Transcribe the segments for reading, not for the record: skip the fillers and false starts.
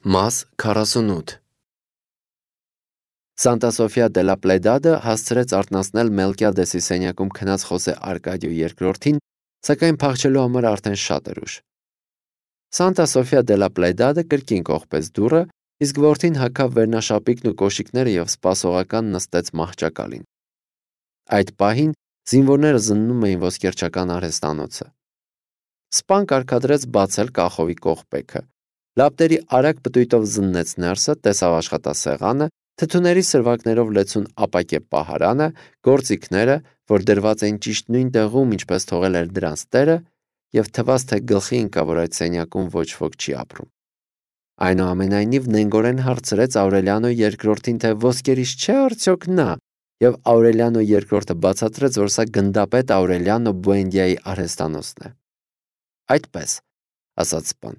Մաս 48 Սանտա Սոֆիա դե լա Պլեդադը հասցրեց արթնացնել Մելկիադեսի սենյակում քնած Խոսե Արկադիո II-ին, սակայն փախչելու համար արդեն շատ էր ուշ։ Սանտա Սոֆիա դե լա Պլեդադը կրկին կողպեց դուռը, իսկ որդին հագավ վերնաշապիկն ու կոշիկները եւ սպասողական նստեց մահճակալին։ Այդ պահին զինվորները զննում էին ոսկերչական արհեստանոցը։ Սպան կարգադրեց բացել կախովի կողպեքը։ Լապտերի արագ պտույտով զննեց ներսը, տեսավ աշխատասեղանը, թթուների սրվակներով լեցուն ապակե պահարանը, գործիքները, որ դրված էին ճիշտ նույն տեղում, ինչպես թողել էր դրանց տերը, եւ թվաց, թե գլխի ընկա, որ այդ սենյակում ոչ ոք չի ապրում։ Այնուամենայնիվ նենգորեն հարցրեց Աուրելիանո II-ին, թե ոսկերիչ չէ արդյոք նա, եւ Աուրելիանո II-ը բացատրեց, որ սա գնդապետ Աուրելիանո Բուենդիայի արհեստանոցն է։ Այդպես, ասաց սպան,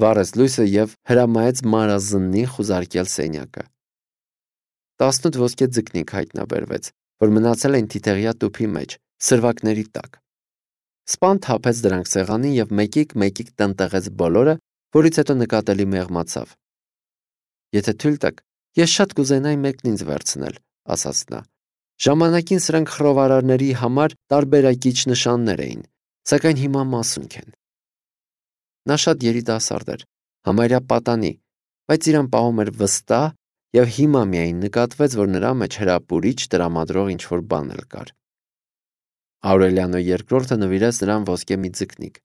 վառեց լույսը եւ հրամայեց մարազննին խուզարկել սենյակը։ 18 ոսկե ձկնիկ հայտնաբերվեց, որ մնացել են թիթեղյա տուփի մեջ, սրվակների տակ։ Սպան թափեց դրանք սեղանին եւ մեկիկ տնտեղեց բոլորը, որից հետո նկատելի մեղմացավ։ Եթե թույլ տաք, ես շատ կուզենայի մեկն ինձ վերցնել, ասաց նա։ Ժամանակին սրանք խռովարարների համար տարբերակիչ նշաններ էին, սակայն հիմա մասունք են։ Նա շատ երիտասարդ էր, համարյա պատանի, բայց իրան պահում էր վստահ եւ հիմա միայն նկատվեց, որ նրա մեջ հրապուրիչ տրամադրող ինչ-որ բան էլ կար։ Աուրելիանո II-ը նվիրեց նրան ոսկե մի ձկնիկ։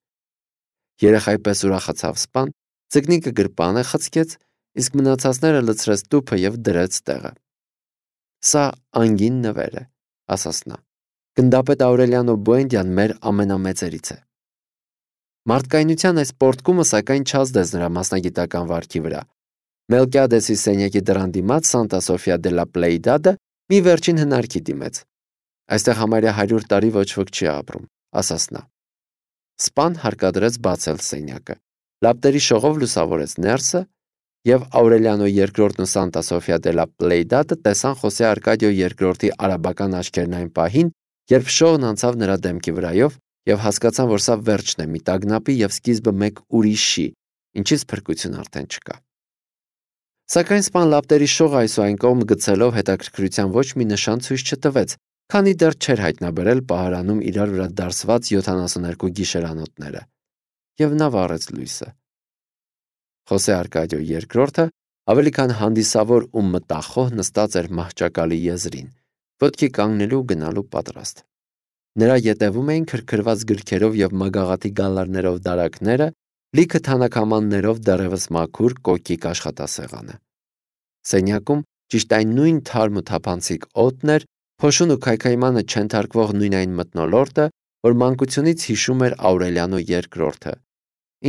Երեխայի պես ուրախացավ սպան, ձկնիկը գրպանը խցկեց, իսկ մնացածները լցրեց տուփը եւ դրեց տեղը։ Սա անգին նվեր է, ասաց նա։ Գնդապետ Աուրելիանո Բուենդիան մեր ամենամեծերից է։ Մարդկայնության այս պորտկումը սակայն չազդեց նրա մասնագիտական վարքի վրա։ Մելկիադեսի սենյակի դռան դիմաց Սանտա Սոֆիա դե լա Պլեյդադը մի վերջին հնարքի դիմեց։ Այստեղ համարյա 100 տարի ոչ ոք չի ապրում, ասաց նա։ Սպան հարկադրեց բացել սենյակը։ Լապտերի շողով լուսավորեց ներսը, եւ Աուրելիանո II-ն ու Սանտա Սոֆիա դե լա Պլեյդադը տեսան Խոսե Արկադիո II-ի արաբական աչքերն այն պահին, երբ շողն անցավ նրա դեմքի վրայով, եւ հասկացան, որ սա վերջն է մի տագնապի եւ սկիզբը մեկ ուրիշի, ինչից փրկություն արդեն չկա։ Սակայն սպան լապտերի շողը այս ու այն կողմ գցելով հետաքրքրության ոչ մի նշան ցույց չտվեց, քանի դեռ չէր հայտնաբերել պահարանում իրար վրա դարսված 72 գիշերանոթները, եւ նա վառեց լույսը։ Խոսե Արկադիո II-ը ավելի քան հանդիսավոր ու մտախոհ նստած էր մահճակալի եզրին, ոտքի կանգնելու ու գնալու պատրաստ։ Նրա ետևում էին քրքրված գրքերով եւ մագաղաթի գալարներով դարակները, լիքը թանաքամաններով դեռևս մաքուր կոկիկ աշխատասեղանը։ Սենյակում ճիշտ այն նույն թարմ ու թափանցիկ օդն էր, փոշուն ու քայքայմանը չենթարկվող նույն այն մթնոլորտը, որ մանկությունից հիշում էր Աուրելիանո II-ը,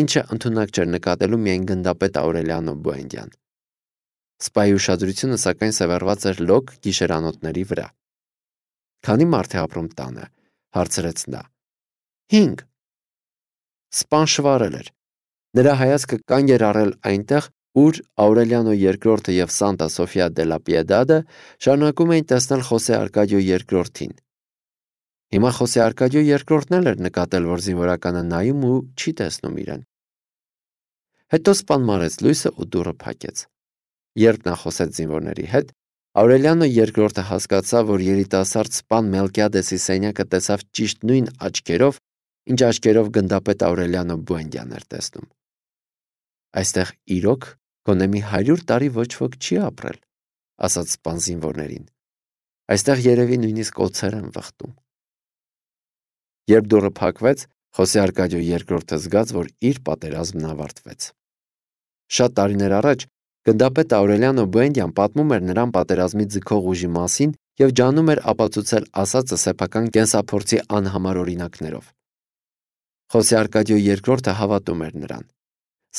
ինչը ընդունակ չէր նկատելու միայն գնդապետ Աուրելիանո Բուենդիան։ Սպայի ուշադրությունը սակայն սևեռված էր լոկ գիշերանոթների վրա։ Քանի մարդ է ապրում տանը, հարցրեց նա։ 5։ Սպան շվարել էր։ Նրա հայացքը կանգ էր առել այնտեղ, ուր Աուրելիանո II-ը եւ Սանտա Սոֆիա դե լա Պիեդադը շարունակում էին տեսնել Խոսե Արկադիո II-ին։ Հիմա Խոսե Արկադիո II-ն էլ էր նկատել, որ զինվորականը նայում ու չի տեսնում իրեն։ Հետո սպան մարեց լույսը ու դուռը փակեց։ Երբ նա խոսեց զինվորների հետ, Աուրելիանո II-ը հասկացավ, որ երիտասարդ սպան Մելկիադեսի սենյակը տեսավ ճիշտ նույն աչքերով, ինչ աչքերով գնդապետ Աուրելիանո Բուենդիան էր տեսնում։ Այստեղ իրոք գոնե մի 100 տարի ոչ ոք չի ապրել, ասաց սպան զինվորներին։ Այստեղ երևի նույնիսկ օձեր են վխտում։ Երբ դուռը փակվեց, Խոսե Արկադիո II-ը զգաց, որ իր պատերազմն ավարտվեց։ Շատ տարիներ առաջ գնդապետ Աուրելիանո Բուենդիան պատմում էր նրան պատերազմի ձգող ուժի մասին եւ ջանում էր ապացուցել ասածը սեփական կենսափորձի անհամար օրինակներով։ Խոսե Արկադիո II-ը հավատում էր նրան։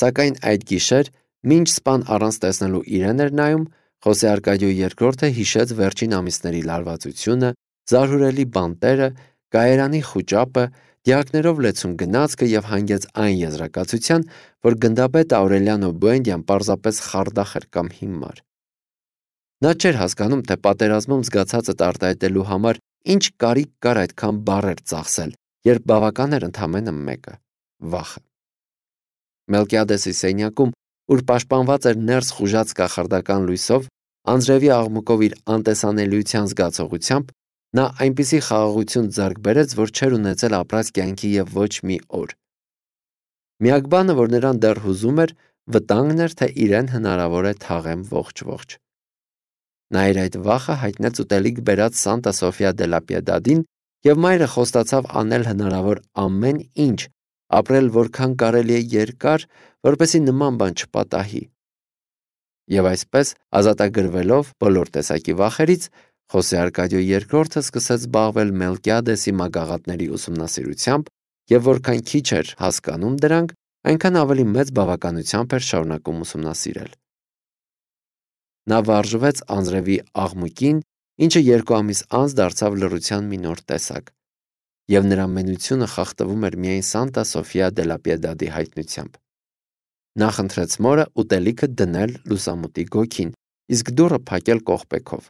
Սակայն այդ գիշեր, մինչ սպան առանց տեսնելու իրեն էր նայում, Խոսե Արկադիո II-ը հիշեց վերջին ամիսների լարվածությունը, զարհուրելի բանտերը, կայարանի խուճապը, դիակներով լեցուն գնացքը եւ հանգեց այն եզրակացության, որ գնդապետ Աուրելիանո Բուենդիան պարզապես խարդախ էր կամ հիմար։ Նա չէր հասկանում, թե պատերազմում զգացածը արտահայտելու համար ինչ կարիք կար այդքան բառեր ծախսել, երբ բավական էր ընդամենը մեկը՝ վախը։ Մելկիադեսի սենյակում ուր պաշտպանված էր ներս խուժած կախարդական լույսով, անձրևի աղմուկով իր անտեսանելիության զգացողությամբ, նա այնպիսի խաղաղություն ձեռք բերեց, որ չէր ունեցել ապրած կյանքի և ոչ մի օր։ Միակ բանը, որ նրան դեռ հուզում էր, վտանգն էր, թե իրեն հնարավոր է թաղեմ ողջ։ Նա իր այդ վախը հայտնեց ուտելիք բերած Սանտա Սոֆիա դե լա Պիեդադին և մայրը խոստացավ անել հնարավոր ամեն ինչ, ապրել որքան կարելի է երկար, որպեսզի նման բան չպատահի։ Եվ այսպես, ազատագրվելով բոլոր տեսակի վախերից, Խոսե Արկադիո II սկսեց զբաղվել Մելկիադեսի մագաղատների ուսումնասիրությամբ և որքան քիչ էր հասկանում դրանք, այնքան ավելի մեծ բավականությամբ էր շարունակում ուսումնասիրել։ Նա վարժվեց անձրևի աղմուկին, ինչը 2 ամիս անց դարձավ լռության մի նոր տեսակ, և նրա մենությունը խախտվում էր միայն Սանտա Սոֆիա դե լա Պիեդադի հայտնությամբ։ Նա խնդրեց մորը ուտելիքը դնել լուսամուտի գոգին, իսկ դուռը փակել կողպեքով։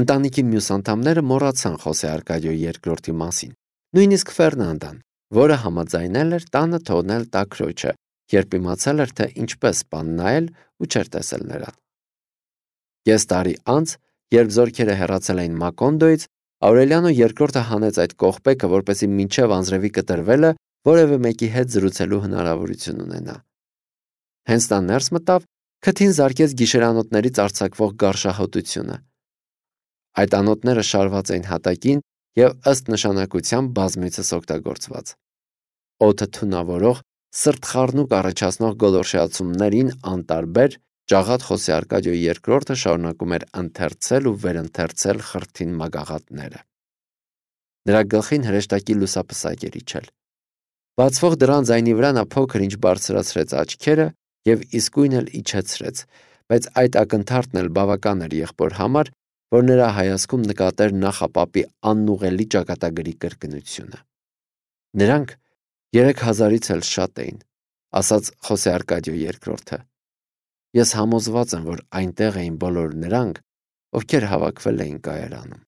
Ընտանիքի մյուս անդամները մոռացան Խոսե Արկադիո II մասին, նույնիսկ Ֆերնանդան, որը համաձայնել էր տանը թողնել տաքրոջը, երբ իմացել էր, թե ինչպես պան նայել ու չէր տեսել նրան։ Կես տարի անց, երբ զորքերը հեռացել էին Մակոնդոյից, Աուրելիանո II հանեց այդ կողպեքը, որպեսզի մինչև անձրևի կտրվելը որևէ մեկի հետ զրուցելու հնարավորություն ունենա։ Հենց նա ներս մտավ, քթին զարկեց գիշերանոթներից արձակվող գարշահոտությունը։ Այդ անոթները շարված էին հատակին և ըստ նշանակության բազմիցս օգտագործված։ Օդը թունավորող, սրտխառնուկ առաջացնող գոլորշիացումներին անտարբեր, ջաղատ Խոսե Արկադիո II շարունակում էր ընթերցել ու վերընթերցել խրթին մագաղատները։ Նրա գլխին հրեշտակի լուսապսակ էր իջել։ Բացվող դռան ձայնի վրա նա փոքր-ինչ բարձրացրեց աչքերը և իսկույն էլ իջեցրեց, բայց այդ ակնթարթն էլ բավական էր եղբոր համար, որ նրա հայացքում նկատեր նախապապի անուղղելի ճակատագրի կրկնությունը։ Նրանք 3000-ից էլ շատ էին, ասաց Խոսե Արկադիո II։ Ես համոզված եմ, որ այնտեղ էին բոլոր նրանք, ովքեր հավաքվել էին կայարանում։